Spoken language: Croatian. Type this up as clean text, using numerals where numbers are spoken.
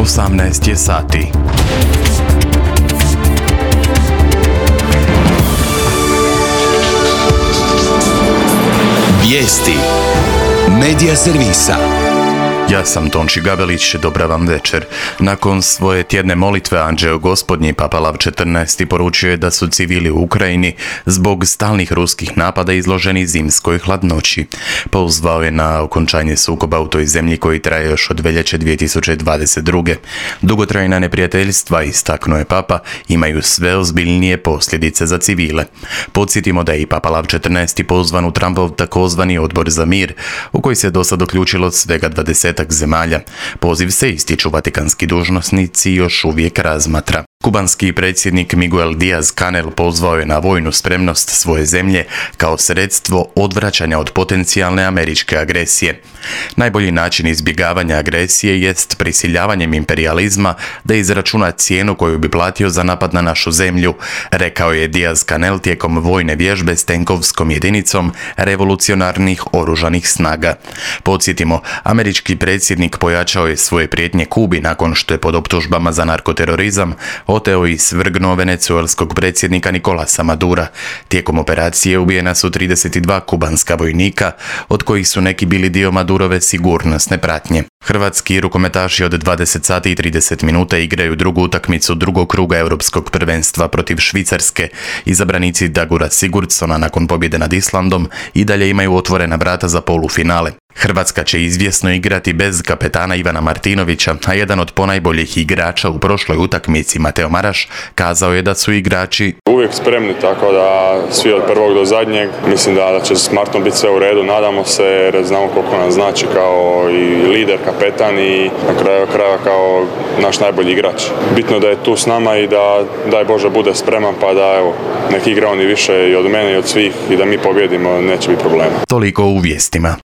18 je sati. Vijesti Medija servisa. Ja sam Tonči Gabelić, dobra vam večer. Nakon svoje tjedne molitve Anđeo Gospodnji, Papa Lav XIV poručio je da su civili u Ukrajini zbog stalnih ruskih napada izloženi zimskoj hladnoći. Pozvao je na okončanje sukoba u toj zemlji koji traje još od veljače 2022. Dugotrajna neprijateljstva, istaknuo je Papa, imaju sve ozbiljnije posljedice za civile. Podsjetimo da je i Papa Lav XIV pozvan u Trumpov takozvani odbor za mir, u koji se dosad uključilo svega 20 zemalja. Poziv se, ističu vatikanski dužnosnici, još uvijek razmatra. Kubanski predsjednik Miguel Díaz-Canel pozvao je na vojnu spremnost svoje zemlje kao sredstvo odvraćanja od potencijalne američke agresije. Najbolji način izbjegavanja agresije jest prisiljavanjem imperijalizma da izračuna cijenu koju bi platio za napad na našu zemlju, rekao je Díaz-Canel tijekom vojne vježbe s tenkovskom jedinicom revolucionarnih oružanih snaga. Podsjetimo, američki predsjednik pojačao je svoje prijetnje Kubi nakon što je pod optužbama za narkoterorizam oteo i svrgnuo venecuelskog predsjednika Nicolasa Madura. Tijekom operacije ubijena su 32 kubanska vojnika, od kojih su neki bili dio Madurove sigurnosne pratnje. Hrvatski rukometaši od 20 sati i 30 minuta igraju drugu utakmicu drugog kruga europskog prvenstva protiv Švicarske. Izabranici Dagura Sigurdsona nakon pobjede nad Islandom i dalje imaju otvorena vrata za polufinale. Hrvatska će izvjesno igrati bez kapetana Ivana Martinovića, a jedan od ponajboljih igrača u prošloj utakmici, Mateo Maraš, kazao je da su igrači uvijek spremni, tako da svi od prvog do zadnjeg. Mislim da će s Martom biti sve u redu, nadamo se, jer znamo koliko nam znači kao i lider, kapetan i na kraju kraja kao naš najbolji igrač. Bitno je da je tu s nama i da, daj Bože, bude spreman, pa da evo, nek igra oni više i od mene i od svih i da mi pobjedimo, neće biti problema. Toliko u vijestima.